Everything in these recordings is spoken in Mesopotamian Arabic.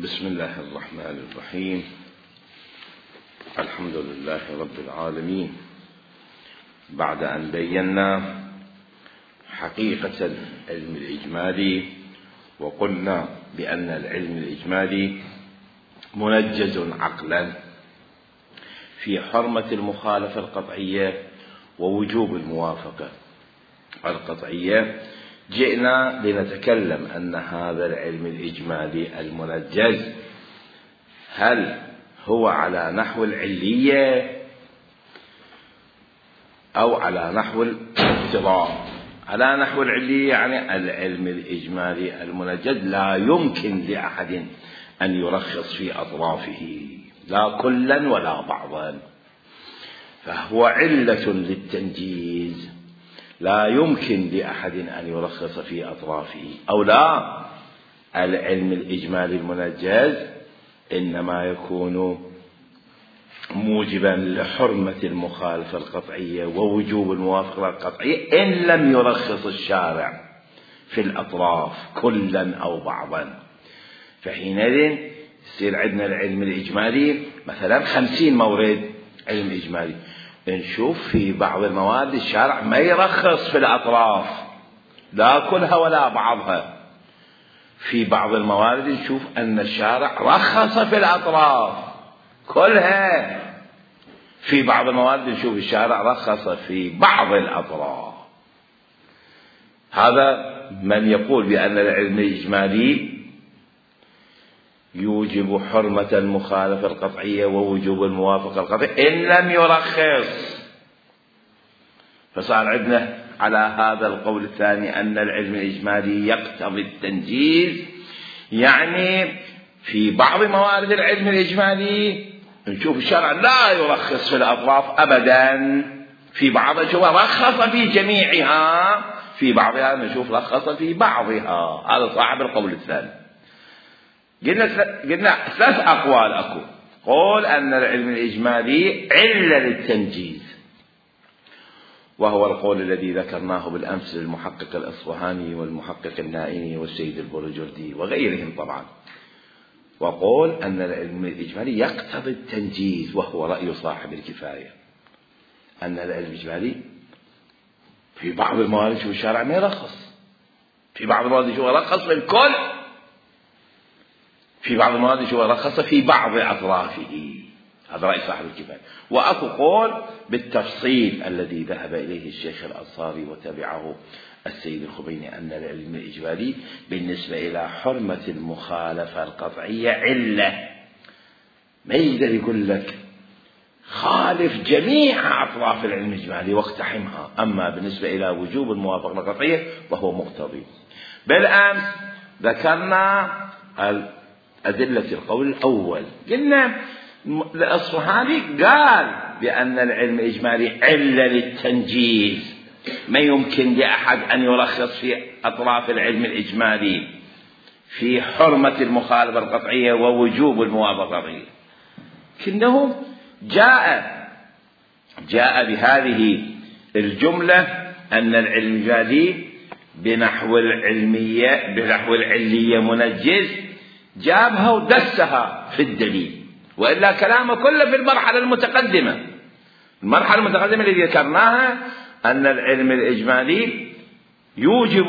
بسم الله الرحمن الرحيم. الحمد لله رب العالمين. بعد أن بينا حقيقة العلم الإجمالي وقلنا بأن العلم الإجمالي منجز عقلا في حرمة المخالفة القطعية ووجوب الموافقة القطعية، جئنا لنتكلم أن هذا العلم الإجمالي المنجز هل هو على نحو العلية أو على نحو الاقتضاء. على نحو العلية يعني العلم الإجمالي المنجز لا يمكن لأحد أن يرخص في أطرافه لا كلا ولا بعضا، فهو علة للتنجيز لا يمكن لأحد أن يرخص في أطرافه. أو لا، العلم الإجمالي المنجز إنما يكون موجبا لحرمة المخالفة القطعية ووجوب الموافقة القطعية إن لم يرخص الشارع في الأطراف كلا أو بعضا. فحينئذ يصير عندنا العلم الإجمالي مثلا 50 مورد علم إجمالي، نشوف في بعض المواد الشارع ما يرخص في الأطراف لا كلها ولا بعضها. في بعض الموارد نشوف أن الشارع رخص في الأطراف كلها. في بعض الموارد نشوف الشارع رخص في بعض الأطراف. هذا من يقول بأن العلم الإجمالي يوجب حرمة المخالفة القطعية ووجوب الموافقة القطعية إن لم يرخص. فصار عندنا على هذا القول الثاني أن العلم الإجمالي يقتضي التنجيز، يعني في بعض موارد العلم الإجمالي نشوف الشرع لا يرخص في الأطراف أبدا، في بعضها نشوف رخص في جميعها، في بعضها نشوف رخص في بعضها. هذا صاحب القول الثاني. قلنا 3 أقوال أكو. قول أن العلم الإجمالي علة للتنجيز، وهو القول الذي ذكرناه بالأمس للمحقق الأصفهاني والمحقق النائمي والسيد البرجردي وغيرهم طبعا. وقول أن العلم الإجمالي يقتضي التنجيز، وهو رأي صاحب الكفاية، أن العلم الإجمالي في بعض الموارد شو الشارع ما يرخص، في بعض الموارد شو يرخص للكل، في بعض المواد شو رخص في بعض أطرافه. هذا رأي صاحب الكفاية. وأكو قول بالتفصيل الذي ذهب إليه الشيخ الأنصاري وتبعه السيد الخميني، أن العلم الإجمالي بالنسبة إلى حرمة المخالفة القطعية علة، ما يقدر يقول لك خالف جميع أطراف العلم الإجمالي واقتحمها. أما بالنسبة إلى وجوب الموافقة القطعية فهو مقتضي. بالأمس ذكرنا أدلة القول الأول. قلنا الأصفهاني قال بأن العلم الإجمالي علة للتنجيز، ما يمكن لأحد أن يرخص في أطراف العلم الإجمالي في حرمة المخالفة القطعية ووجوب الموافقة القطعية. لكنه جاء بهذه الجملة أن العلم الإجمالي بنحو العلية منجز، جابها ودسها في الدليل، وإلا كلامه كله في المرحلة المتقدمة. المرحلة المتقدمة التي ذكرناها أن العلم الإجمالي يوجب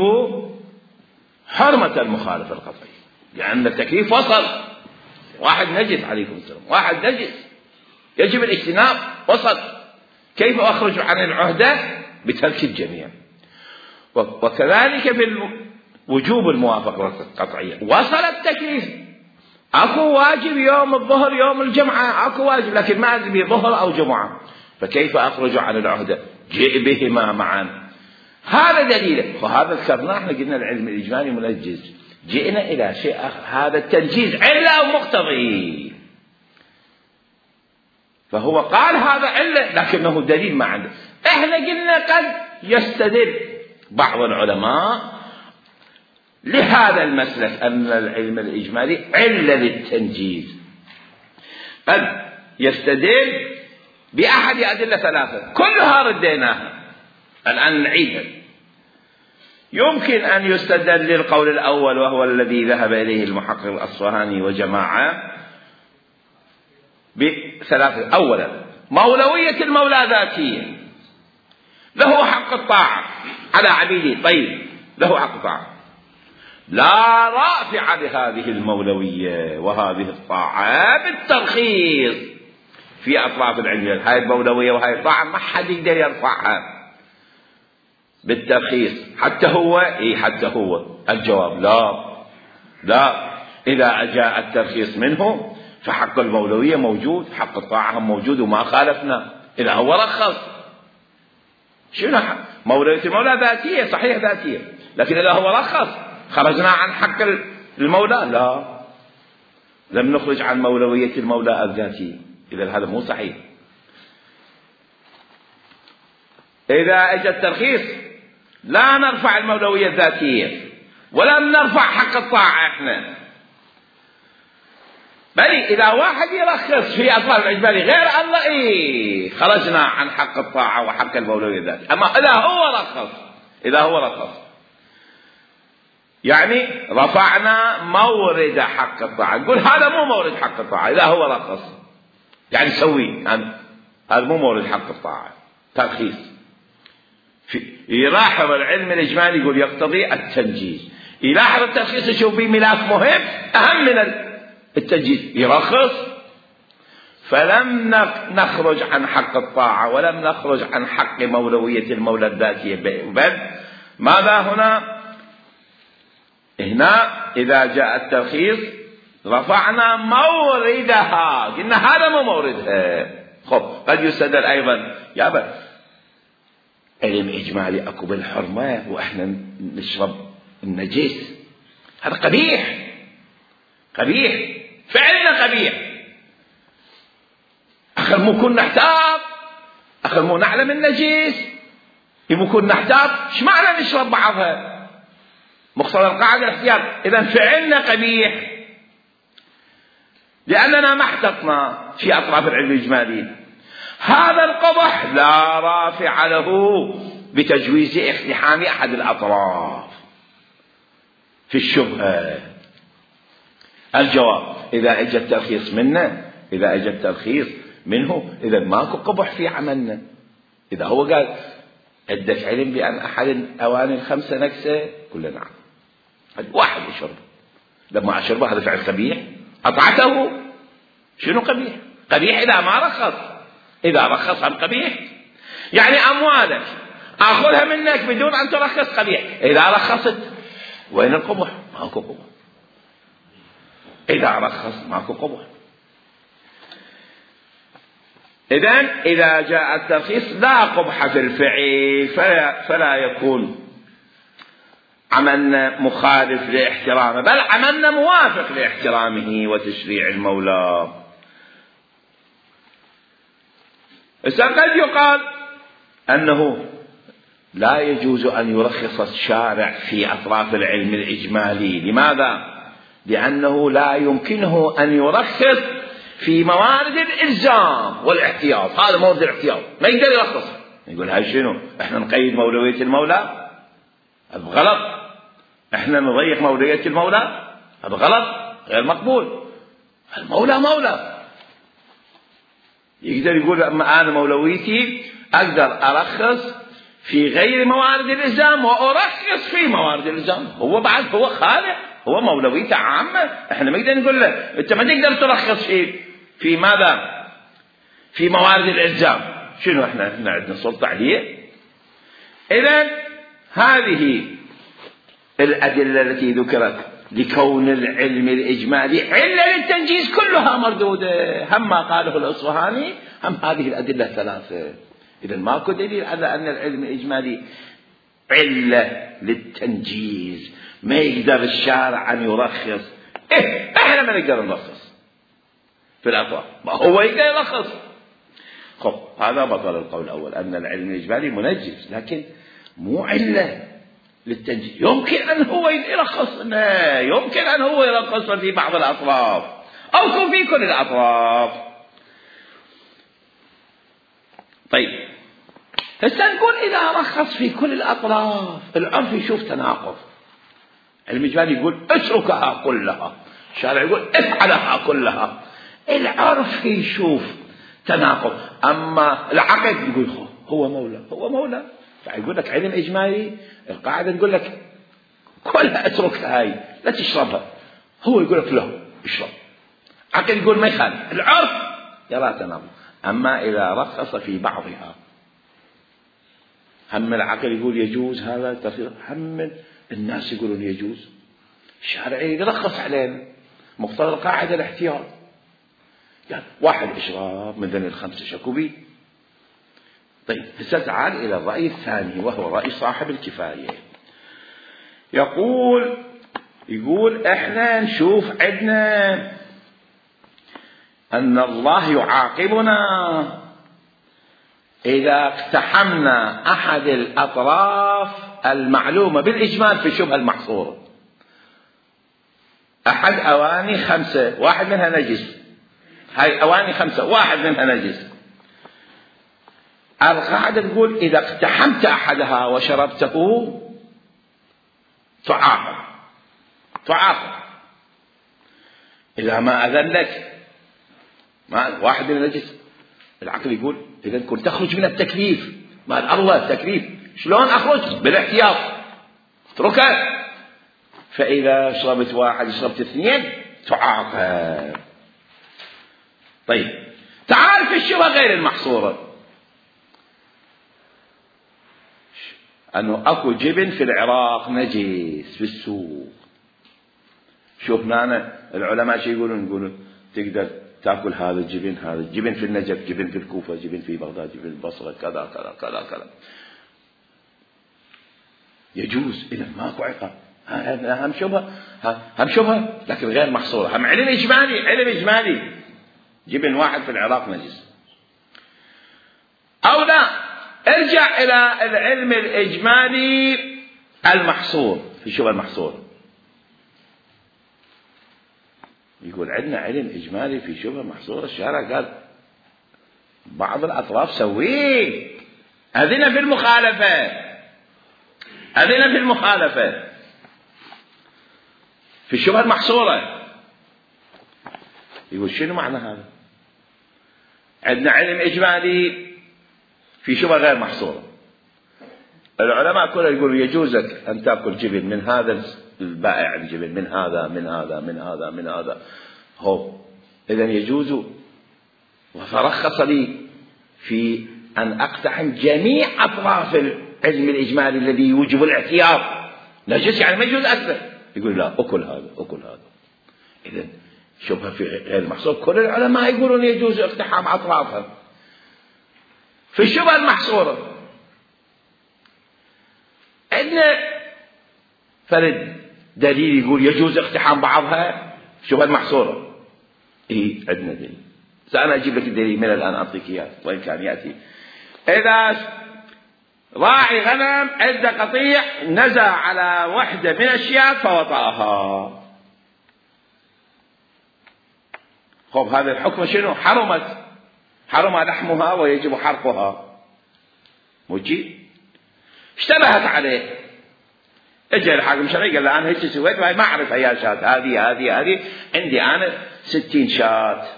حرمة المخالفة القطعية، لأن التكليف وصل. واحد نجس، عليكم السلام، واحد نجس يجب الاجتناب، وصل. كيف أخرج عن العهدة؟ بترك الجميع. وكذلك في وجوب الموافقة القطعية وصل التكليف. اكو واجب يوم الظهر يوم الجمعة، اكو واجب، لكن ما ادري ظهر او جمعة، فكيف اخرج عن العهدة؟ جئ بهما معا. هذا دليله. وهذا ذكرناه، احنا قلنا العلم الاجمالي منجز، جئنا الى شيء اخر، هذا التنجيز علة او مقتضي. فهو قال هذا علة لكنه دليل ما عنده. احنا قلنا قد يستدل بعض العلماء لهذا المسلك أن العلم الإجمالي علة للتنجيز، قد يستدل بأحد أدلة 3 كلها رديناها، الآن نعيدها. يمكن أن يستدل للقول الأول وهو الذي ذهب إليه المحقق الأصفهاني وجماعة بثلاثة. أولا، مولوية المولى ذاتية، له حق الطاعة على عبيده. طيب، له حق الطاعة، لا رافع لهذه المولوية وهذه الطاعة بالترخيص في أطراف العلم. هاي المولوية وهاي الطاعة ما حد يقدر يرفعها بالترخيص. حتى هو الجواب لا. إذا جاء الترخيص منه فحق المولوية موجود، حق الطاعة موجود، وما خالفنا. إذا هو رخص، شنو مولوية المولى ذاتية، صحيح ذاتية، لكن إذا هو رخص خرجنا عن حق المولى؟ لا، لم نخرج عن مولوية المولى الذاتية. إذا هذا مو صحيح. إذا اجى الترخيص لا نرفع المولوية الذاتية ولم نرفع حق الطاعة احنا، بل إذا واحد يرخص في أطراف الإجمالي غير الله خرجنا عن حق الطاعة وحق المولوية الذاتية. أما إذا هو رخص يعني رفعنا مورد حق الطاعة. نقول هذا مو مورد حق الطاعة إذا هو رخص، يعني سوي هذا مو مورد حق الطاعة، ترخيص. يلاحظ العلم الإجمالي يقول يقتضي التنجيز، يلاحظ الترخيص يشوف به ملاك مهم أهم من التنجيز، يرخص. فلم نخرج عن حق الطاعة ولم نخرج عن حق مولوية المولى الذاتية، بل ماذا هنا إذا جاء الترخيص رفعنا موردها، قلنا هذا مو موردها. قد يستدل أيضا يا أبا علم إجمالي أكو بالحرمة وإحنا نشرب النجس، هذا قبيح فعلنا قبيح. أخر مو كنا نحتاط، أخر مو نعلم النجس، مو كنا نحتاط، إيش معنى نشرب بعضها؟ مقتضى القاعدة الاحتياط. إذا فعلنا قبيح لأننا ما احتطنا في أطراف العلم الإجمالي. هذا القبح لا رافع له بتجويز اقتحام أحد الأطراف في الشبهة. الجواب إذا اجى الترخيص منه إذا ماكو قبح في عملنا. إذا هو قال عندك علم بأن أحد الأواني الخمسة نكسة، كلنا نعم، واحد يشرب، لما أشربه هذا فعل قبيح، أطعته، شنو قبيح إذا ما رخص. إذا رخص هم قبيح، يعني أموالك أخذها منك بدون أن ترخص قبيح. إذا رخصت وين القبح؟ ماكو قبح. إذا رخص ماكو قبح. إذا جاء الترخيص لا قبح في الفعل، فلا يكون عملنا مخالف لاحترامه، بل عملنا موافق لاحترامه وتشريع المولى. قد يقال أنه لا يجوز أن يرخص الشارع في أطراف العلم الإجمالي. لماذا؟ لأنه لا يمكنه أن يرخص في موارد الإلزام والاحتياط. هذا مورد الاحتياط ما يقدر يرخص. يقول هاي شنو؟ احنا نقيد مولوية المولى، هذا غلط. احنا نضيق مولوية المولى، هذا غلط، غير مقبول. المولى مولى، يقدر يقول أما أنا مولويتي أقدر أرخص في غير موارد الإلزام وأرخص في موارد الإلزام. هو بعد هو خالق، هو مولويته عامة. احنا ما نقدر نقول له انت ما تقدر ترخص في ماذا؟ في موارد الإلزام. شنو احنا عندنا سلطة عليه؟ إذن هذه الأدلة التي ذكرت لكون العلم الإجمالي علة للتنجيز كلها مردودة، هم ما قاله الأصفهاني هم هذه الأدلة ثلاثة. إذن ماكو دليل على أن العلم الإجمالي علة للتنجيز. ما يقدر الشارع أن يرخص. احنا ما نقدر نرخص في الأطراف، ما هو يقدر يرخص. هذا بطل القول الأول أن العلم الإجمالي منجز، لكن مو علة للتنجيز. يمكن أن هو يرخص، يمكن أن هو يرخص في بعض الأطراف أو في كل الأطراف. طيب، هسه نقول إذا رخص في كل الأطراف العرف يشوف تناقض. العلم الإجمالي يقول اتركها كلها، الشارع يقول افعلها كلها. العرف يشوف تناقض، أما العقل يقول هو مولى هو مولى. فيقول لك علم إجمالي القاعدة تقول لك كلها اتركها هاي لا تشربها، هو يقول لك لا اشرب. عقل يقول ما يخالف، العرف يرى تناقض. أما إذا رخص في بعضها، هم العقل يقول يجوز هذا الترخيص، هم الناس يقولون يجوز، الشارع يرخص علينا مقتضى القاعدة الاحتياط. يعني واحد إشراب من ذن الخمسة شكوبي. طيب هسه تعال إلى الرأي الثاني وهو رأي صاحب الكفاية. يقول احنا نشوف عندنا أن الله يعاقبنا إذا اقتحمنا أحد الأطراف المعلومة بالإجمال في الشبهة المحصورة. أحد أواني 5 واحد منها نجس، هاي أواني 5 واحد منها نجس. القاعدة تقول إذا اقتحمت أحدها وشربته تعاقب. إذا ما أذن لك واحد من نجس، العقل يقول إذا كنت تخرج من التكليف مال الله التكليف، شلون أخرج؟ بالاحتياط اتركه. فإذا شربت واحد شربت 2 تعاقب. طيب تعال في الشبهة غير المحصورة، أنه أكو جبن في العراق نجس في السوق. شوف معنا العلماء شو يقولون تقدر تأكل هذا الجبن في النجف، جبن في الكوفة، جبن في بغداد، جبن في البصرة، كذا كذا كذا كذا يجوز. إذا ماكو عقاب. هم شبهة لكن غير محصورة، هم علم إجمالي جبن واحد في العراق نجس. أو لا، ارجع إلى العلم الإجمالي المحصور في الشبهة المحصورة. يقول عندنا علم إجمالي في شبهة محصورة، الشارع قال بعض الأطراف سويه، أذن في المخالفة في الشبهة المحصورة. يقول شنو معنى هذا؟ عندنا علم إجمالي في شبهة غير محصورة، العلماء كلهم يقولوا يجوزك أن تأكل جبن من هذا البائع، الجبن من هذا من هذا من هذا من هذا، هو إذن يجوز. وفرخص لي في أن أقتحم جميع أطراف العلم الإجمالي الذي يوجب الاحتياط. نجس يعني ما يجوز أكله، يقول لا أكل هذا. إذن شبهة في غير محصور، كل العلماء يقولون يجوز اقتحام أطرافها. في الشبهة المحصورة عندنا فرد دليل يقول يجوز اقتحام بعضها الشبهة المحصورة. عندنا دليل، سأنا أجيب لك الدليل من الآن أعطيك إياه وإن كان يأتي. إذا راعي غنم عنده قطيع نزع على وحدة من الشيات فوطأها، خب هذا الحكم شنو؟ حرم لحمها ويجب حرقها. موجي اشتبهت عليه، اجى الحاكم الشرعي قال له انا هيك سويت وهي ما اعرف يا شات، هذه عندي انا 60 شات.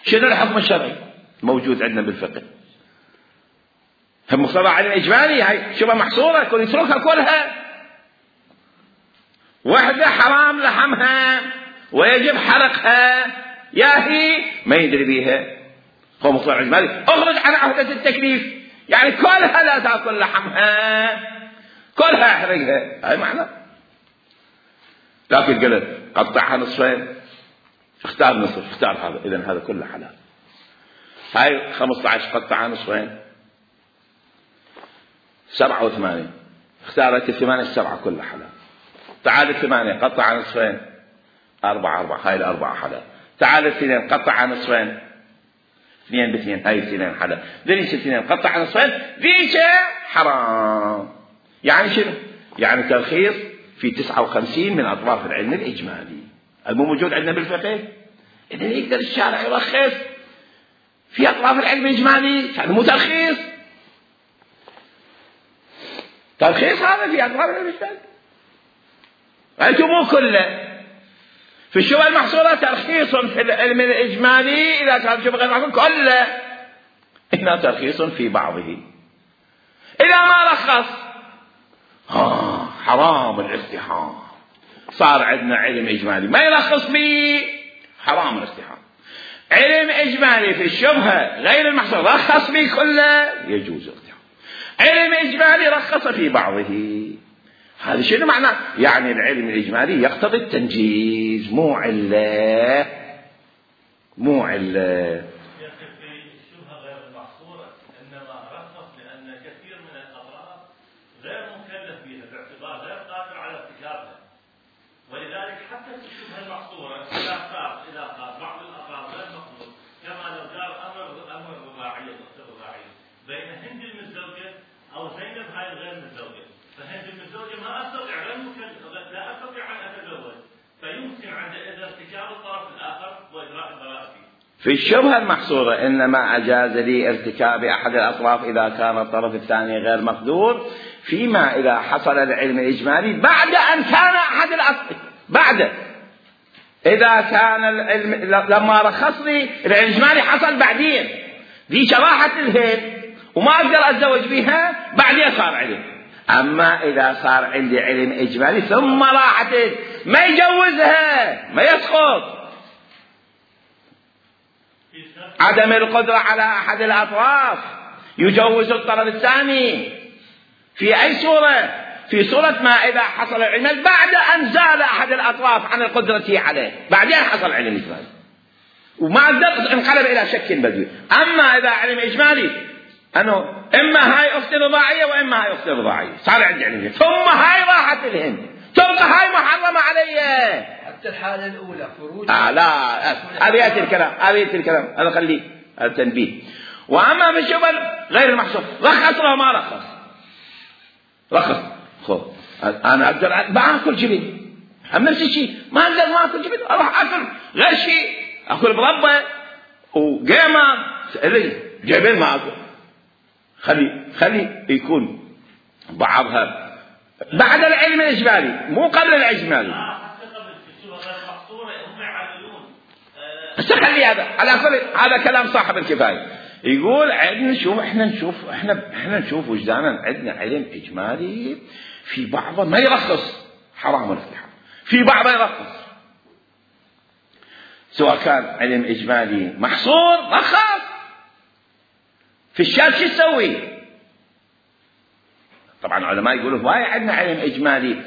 شنو الحكم الشرعي موجود عندنا بالفقه؟ هم مقتضى علم اجمالي، هاي شبه محصوره، كل يتركها كلها. وحده حرام لحمها ويجب حرقها، يا هي ما يدري بيها، هو مقتضى اجمالي اخرج عن عهدة التكليف، يعني كلها لا تاكل لحمها، كلها احرقها، هاي معنى. لكن قال قطعها نصفين، اختار نصف، اختار هذا، اذا هذا كله حلال. هاي 15 قطعها نصفين، 7 و8، اختارت 8 7 كلها حلال. تعال 8 قطعها نصفين، 4 هاي 4 حلال. تعال 2 قطعها نصفين، 2 ب2 هاي 2 حلال. ذيك 2 قطعها نصفين، ذيك حرام. يعني شنو؟ يعني ترخيص في 59 من أطراف العلم الإجمالي المو موجود عندنا بالفقه. إذن يقدر الشارع يرخص في أطراف العلم الإجمالي، يعني مو ترخيص. ترخيص هذا في أطراف العلم الإجمالي، أنتم مو كله. في الشبهة المحصورة ترخيص في العلم الإجمالي إذا كان شبهة غير محصور كله، هنا ترخيص في بعضه. إذا ما رخص حرام الاستحام. صار عندنا علم إجمالي ما يرخص به، حرام الاستحام. علم إجمالي في الشبهة غير المحصور رخص به كله، يجوز الاستحام. علم إجمالي رخص في بعضه. هذا شنو معناه؟ يعني العلم الإجمالي يقتضي التنجيز، مو علة. في الشبهة غير المحصورة إنما رخص لأن كثير من الأطراف غير مكلف بها باعتبار غير قادر على ارتكابها، ولذلك حتى في الشبهة المحصورة إذا قال بعض الأطراف غير مقبول، كما لو دار أمر رباعية بين هند المتزوجة أو زينب هاي الغير متزوجة، فهند المتزوجة لا أستطيع أن أتزوج، فيمكن عندئذ ارتكاب الطرف الآخر وإجراء البراءة فيه. في الشبهة المحصورة إنما أجاز لي ارتكاب أحد الأطراف إذا كان الطرف الثاني غير مقدور، فيما إذا حصل العلم الإجمالي بعد أن كان أحد الأطراف، بعد إذا كان العلم لما رخص لي العلم الإجمالي حصل بعدين، دي شراحة الهند وما أقدر أتزوج بها، بعدين صار علم. أما إذا صار عندي علم إجمالي ثم راحت ما يجوزها، ما يسقط. عدم القدرة على أحد الأطراف يجوز الطرف الثاني في أي صورة؟ في صورة ما إذا حصل العلم بعد أن زال أحد الأطراف عن القدرة عليه، بعدين حصل علم إجمالي وما أقدر انقلب إلى شك بدوي. أما إذا علم إجمالي أنه إما هاي أختي رضاعية وإما هاي أختي رضاعية، صار عندي علم، ثم هاي راحت الهند، تبقى هاي محرمة علي. حتى الحالة الأولى خروج لا، هذا الكلام هذا خليه التنبيه. وأما في الشبهة غير المحصور رخص له ما رخص خذ أنا أقدر بأكل جبن، هم نفس الشيء ما أقدر ما أكل جبن، أروح أكل غير شيء، أكل مربى وقيمة جبن ما أكل. خلي يكون بعضها بعد العلم الإجمالي مو قبل الإجمالي. حتى قبل الشبهة غير محصورة هم يعللون. خلي هذا على كل هذا كلام صاحب الكفاية. يقول عندنا نشوف وجدانا عندنا علم إجمالي في بعضه ما يرخص، حرام الافتحام، في بعضه يرخص. سواء كان علم إجمالي محصور رخص، في الشارع شو يسوي؟ طبعا العلماء يقولوا هواي عندنا علم إجمالي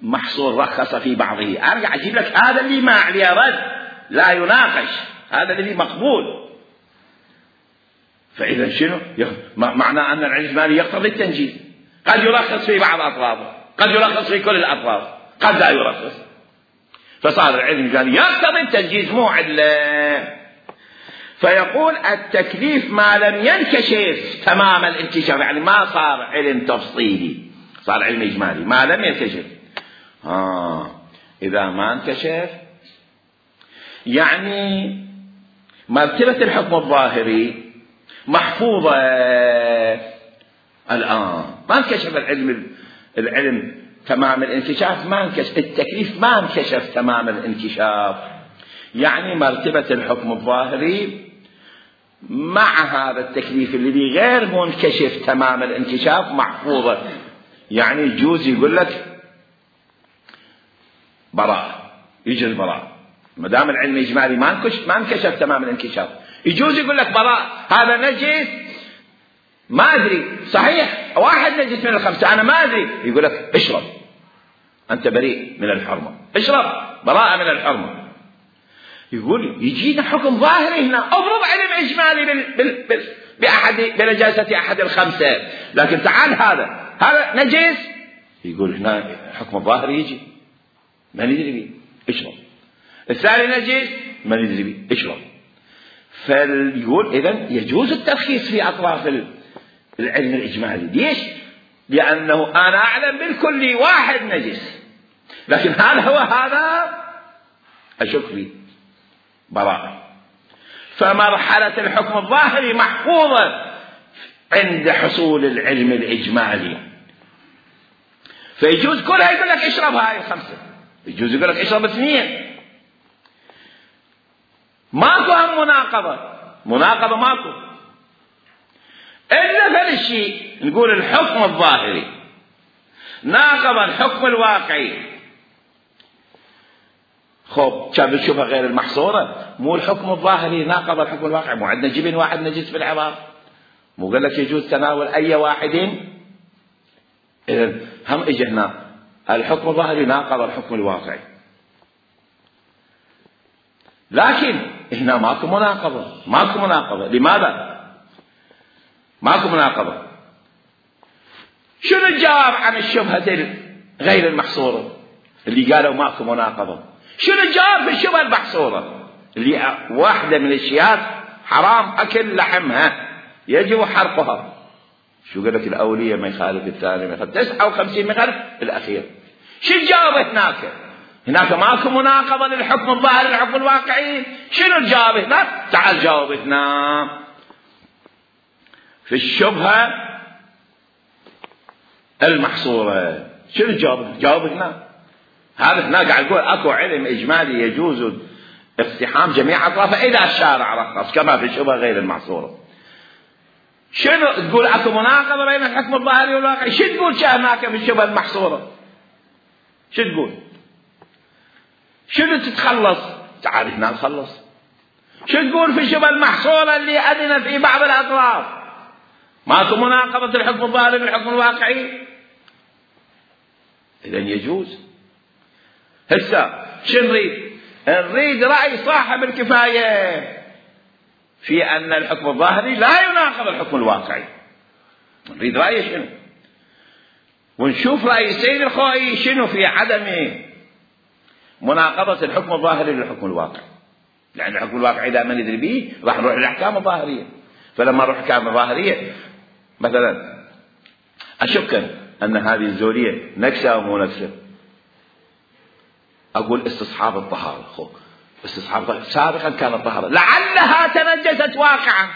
محصور رخص في بعضه، أرجع أجيب لك هذا اللي ما عليه رد لا يناقش، هذا اللي مقبول. فإذا شنو؟ معناه أن العلم الإجمالي يقتضي التنجيز، قد يرخص في بعض أطرافه، قد يرخص في كل الأطراف، قد لا يرخص. فصار العلم الإجمالي يقتضي التنجيز مو علة. فيقول التكليف ما لم ينكشف تمام الانكشاف، يعني ما صار علم تفصيلي، صار علم إجمالي ما لم ينكشف. إذا ما انكشف يعني مرتبة الحكم الظاهري محفوظة الآن، ما انكشف العلم تمام الانكشاف، ما انكشف التكليف، ما انكشف تمام الانكشاف، يعني مرتبة الحكم الظاهري مع هذا التكليف اللي غير منكشف تمام الانكشاف محفوظة. يعني يجوز يقول لك براءة، يجي البراءة ما دام العلم الإجمالي ما انكشف تمام الانكشاف، يجوز يقول لك براءة، هذا نجس ما أدري، صحيح واحد نجس من الخمسة أنا ما أدري، يقول لك اشرب أنت بريء من الحرمة، اشرب براءة من الحرمة. يقول يجينا حكم ظاهري هنا، أفرض علم إجمالي بنجاسة أحد الخمسة، لكن تعال هذا نجس، يقول هنا حكم الظاهري يجي ما ندري بيه اشرب، الثاني نجس ما ندري بيه اشرب. فيقول إذن يجوز الترخيص في أطراف العلم الإجمالي. ليش؟ لأنه أنا أعلم بالكل واحد نجس، لكن هل هو هذا؟ أشك فيه براءة. فمرحلة الحكم الظاهري محفوظة عند حصول العلم الإجمالي، فيجوز كلها يقول لك اشرب هاي 5، يجوز يقول لك اشرب 2. ماكو هم مناقضة ماكو، إلا فالشيء نقول الحكم الظاهري ناقض الحكم الواقعي. خب كان الشبهة غير المحصورة، مو الحكم الظاهري ناقض الحكم الواقعي. مو عندنا جبن واحد نجس في العظام، مو قال لك يجوز تناول أي واحد. إذن هم إجي هنا الحكم الظاهري ناقض الحكم الواقعي، لكن هنا ماكو مناقضة. لماذا ماكو مناقضة؟ شنو الجواب عن الشبهة غير المحصورة اللي قالوا ماكو مناقضة؟ شنو الجواب في الشبهة المحصورة اللي واحدة من الأشياء حرام أكل لحمها يجب حرقها؟ شو قال لك؟ الأولية ما يخالف الثاني، ما يخالف 59 ما يخالف الأخير. شو الجواب هناك ماكو مناقضة للحكم الظاهري للحكم الواقعي. شنو الجواب هناك؟ تعال جاوب هنا في الشبهة المحصورة. شنو الجواب؟ جاوب هنا. هذا هنا قاعد يقول اكو علم اجمالي يجوز اقتحام جميع اطرافه اذا الشارع رخص، كما في الشبهة غير المحصورة. شنو تقول؟ اكو مناقضة بين الحكم الظاهري والواقعي. شو تقول هناك في الشبهة المحصورة؟ شو تقول؟ شنو تتخلص؟ تعال هنا نخلص. شو تقول في الشبهة المحصورة اللي أذن في بعض الأطراف ماكو مناقضة الحكم الظاهري بالحكم الواقعي؟ إذن يجوز. هسه شو نريد رأي صاحب الكفاية في أن الحكم الظاهري لا يناقض الحكم الواقعي. نريد رأيه شنو، ونشوف رأي السيد الخوئي شنو في عدم مناقضة الحكم الظاهري للحكم الواقعي. لأن الحكم الواقعي إذا ما ندري به راح نروح للأحكام الظاهرية. فلما نروح الأحكام الظاهرية مثلا أشك أن هذه الزولية نكسة أو مو نكسة، أقول استصحاب الطهارة. استصحاب الطهارة سابقا كانت طهارة لعلها تنجست واقعا،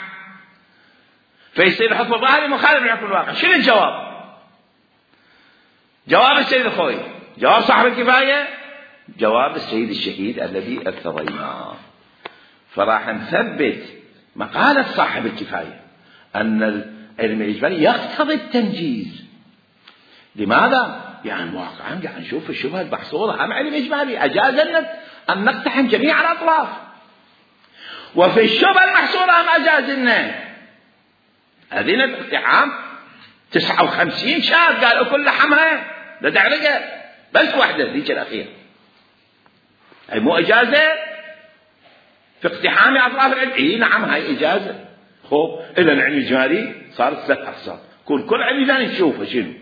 فيصير الحكم الظاهري مخالف للحكم الواقعي. شنو الجواب؟ جواب السيد الخوئي، جواب صاحب الكفاية، جواب السيد الشهيد الذي ارتضيناه. فراح نثبت مقالة صاحب الكفاية أن العلم الإجمالي يقتضي التنجيز. لماذا؟ يعني واقعا قاعد نشوف الشبهة المحصورة هم علم إجمالي أجاز لنا أن نقتحم جميع الأطراف، وفي الشبهة المحصورة هم أجاز لنا أذن الاقتحام 59 شاب قالوا كل لحمها لا تعرقه بس واحدة ذيك الأخيرة. أي مو إجازة في اقتحام أطراف العلم؟ إيه نعم هاي إجازة. خب إلى العلم الإجمالي صارت 3 أقسام، كل علم إجمالي نشوفه شنو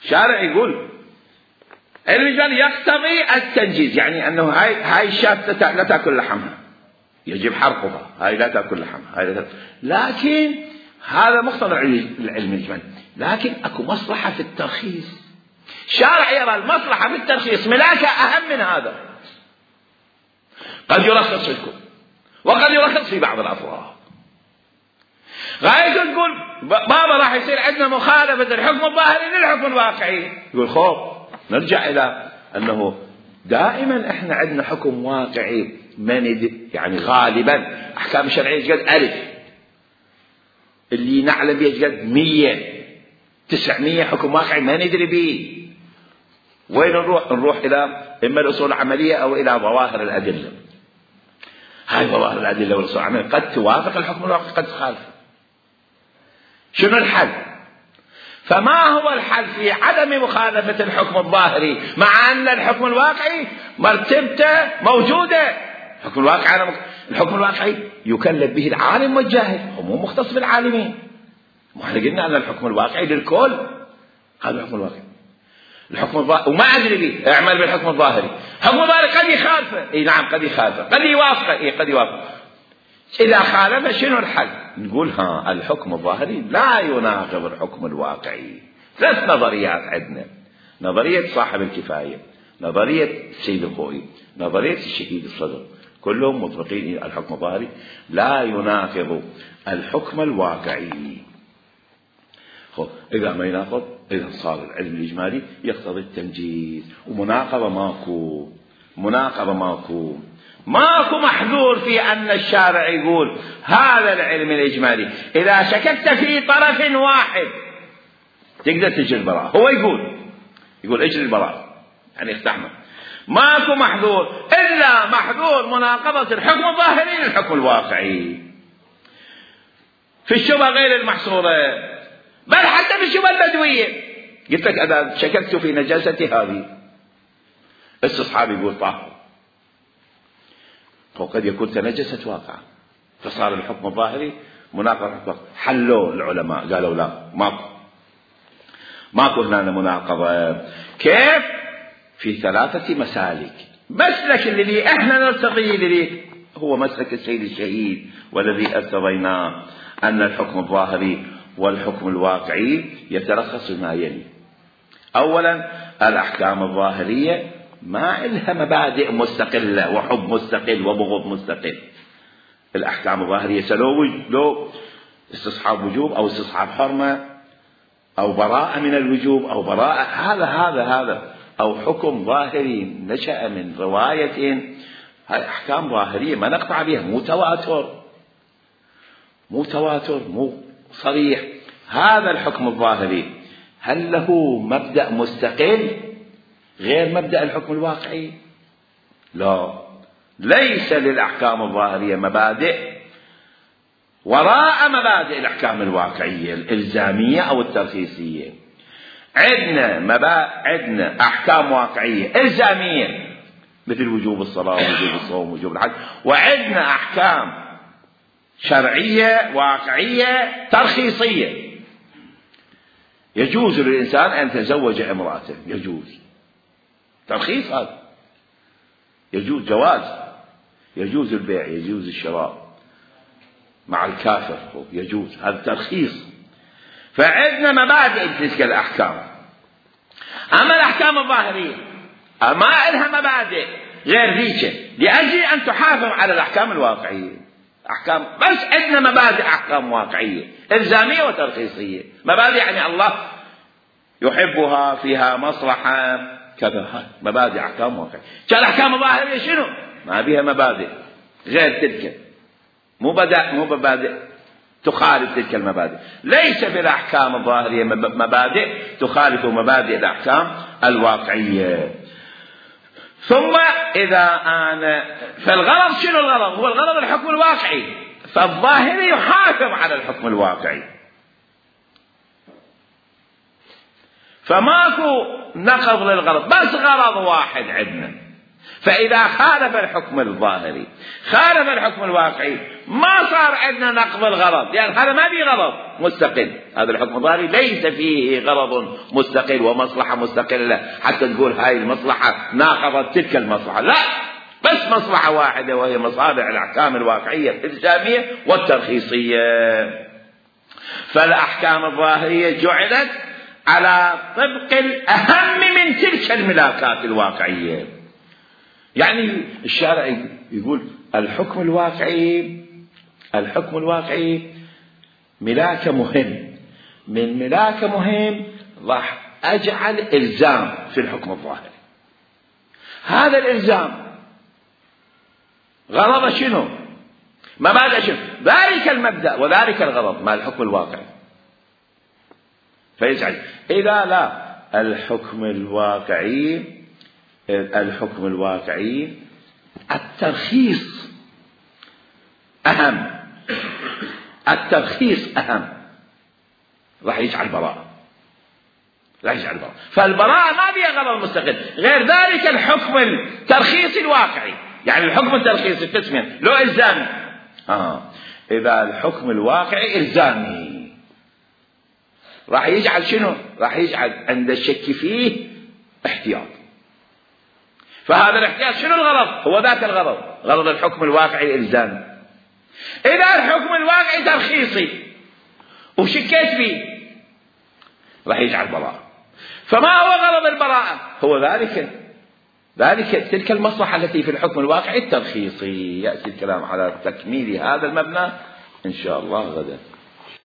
شارع يقول علم الإجمالي يقتضي التنجيز، يعني أنه هاي الشاة لا تأكل لحمها يجب حرقها، هاي لا تأكل لحمها، هاي لا تأكل. لكن هذا مقتضى العلم الإجمالي، لكن أكو مصلحة في الترخيص. شارع يرى المصلحة في الترخيص ملاكة أهم من هذا. قد يرخص في الكل وقد يرخص في بعض الأطراف. غاية تقول بابا راح يصير عندنا مخالفة الحكم الظاهري للحكم الواقعي. يقول خوف نرجع إلى أنه دائما إحنا عندنا حكم واقعي يعني غالبا أحكام الشرعية قد 1000 اللي نعلم به قد 100 900 حكم واقعي ما ندري به. وين نروح إلى إما الأصول العملية أو إلى ظواهر الأدلة. هاي ظواهر الأدلة والأصول العملية قد توافق الحكم الواقعي قد تخالف. شنو الحل؟ فما هو الحل في عدم مخالفة الحكم الظاهري مع أن الحكم الواقعي مرتبته موجودة؟ الحكم الواقعي يكلف به العالم والجاهل، هو مو مختص بالعالمين. واحنا قلنا أن الحكم الواقعي للكل، هذا الحكم الواقعي. الحكم الظاهري وما أدري به اعمل بالحكم الظاهري. الحكم الظاهري قد يخالفه، اي نعم قد يخالفه، قد يوافقه، اي قد يوافقه. إذا خالف شنو الحل؟ نقول الحكم الظاهري لا يناقض الحكم الواقعي. 3 نظريات عندنا: نظرية صاحب الكفاية، نظرية السيد الخوئي، نظرية الشهيد الصدر، كلهم مطلقين الحكم الظاهري لا يناقض الحكم الواقعي. إذا ما يناقض إذا صار العلم الإجمالي يقتضي التنجيز، ومناقضة ماكو محذور في أن الشارع يقول هذا العلم الإجمالي إذا شككت في طرف واحد تقدر تجري البراءة. هو يقول اجري البراءة، يعني استحمل. ماكو محذور إلا محذور مناقضة الحكم الظاهري للحكم الواقعي في الشبهة غير المحصورة، بل حتى في الشبهة البدوية. قلت لك إذا شككت في نجاستي هذه استصحاب يقول طاهر، وقد يكون تنجست واقعا فصار الحكم الظاهري مناقضة. حلوا العلماء قالوا لا، ماكو هنا مناقضة. كيف؟ في 3 مسالك. مسلك الذي احنا نرتضيه الذي هو مسلك السيد الشهيد والذي ارتضيناه أن الحكم الظاهري والحكم الواقعي يتلخص ما يلي. أولا الأحكام الظاهرية ما إلها مبادئ مستقلة وحب مستقل وبغض مستقل. الأحكام الظاهرية لو استصحاب وجوب أو استصحاب حرمة أو براءة من الوجوب أو براءة هذا أو حكم ظاهري نشأ من رواية، هاي أحكام ظاهرية ما نقطع بها، مو تواتر مو صريح. هذا الحكم الظاهري هل له مبدأ مستقل غير مبدأ الحكم الواقعي؟ لا، ليس للأحكام الظاهرية مبادئ وراء مبادئ الأحكام الواقعية الإلزامية أو الترخيصية. عندنا أحكام واقعية إلزامية مثل وجوب الصلاة ووجوب الصوم ووجوب الحج، وعندنا أحكام شرعية واقعية ترخيصية. يجوز للإنسان أن يتزوج امرأته، يجوز ترخيص، هذا يجوز جواز، يجوز البيع، يجوز الشراء مع الكافر، يجوز، هذا ترخيص. فعندنا مبادئ تلك الأحكام. أما الأحكام الظاهرية ما لها مبادئ غير ذيك لأجل أن تحافظ على الأحكام الواقعية. أحكام بس عندنا مبادئ أحكام واقعية إلزامية وترخيصية. مبادئ يعني الله يحبها، فيها مصلحة كذا، مبادئ أحكام واقعية. الأحكام الظاهرية شنو؟ ما بها مبادئ غير تلك، مو مبادئ تخالف تلك المبادئ. ليس في الأحكام الظاهرية مبادئ تخالف مبادئ الأحكام الواقعية. ثم إذا فالغرض شنو الغرض؟ هو الغرض الحكم الواقعي، فالظاهري يحافظ على الحكم الواقعي. فماكو نقض للغرض، بس غرض واحد عندنا. فإذا خالف الحكم الظاهري خالف الحكم الواقعي ما صار عندنا نقض الغرض، لأن هذا ما فيه غرض مستقل. هذا الحكم الظاهري ليس فيه غرض مستقل ومصلحة مستقلة حتى تقول هاي المصلحة ناقضت تلك المصلحة، لا، بس مصلحة واحدة وهي مصالح الأحكام الواقعية الإلزامية والترخيصية. فالأحكام الظاهرية جعلت على طبق الأهم من تلك الملاكات الواقعية. يعني الشارع يقول الحكم الواقعي ملاك مهم، من ملاك مهم راح أجعل إلزام في الحكم الظاهري. هذا الإلزام غرض شنو؟ مبادئ شنو؟ ذلك المبدأ وذلك الغرض مع الحكم الواقعي. فيجعل إذا لا الحكم الواقعي الترخيص أهم، راح يجعل براءة. فالبراءة ما فيها غرض مستقل غير ذلك الحكم الترخيصي الواقعي. يعني الحكم الترخيصي قسمين، لو إلزامي إذا الحكم الواقعي إلزامي راح يجعل شنو؟ راح يجعل عند الشك فيه احتياط. فهذا الاحتياط شنو الغرض؟ هو ذاك الغرض، غرض الحكم الواقعي الإلزامي. إذا الحكم الواقعي ترخيصي وشكيت فيه راح يجعل براءة. فما هو غرض البراءة؟ هو ذلك تلك المصلحة التي في الحكم الواقعي الترخيصي. يأتي الكلام على تكميل هذا المبنى إن شاء الله غدا.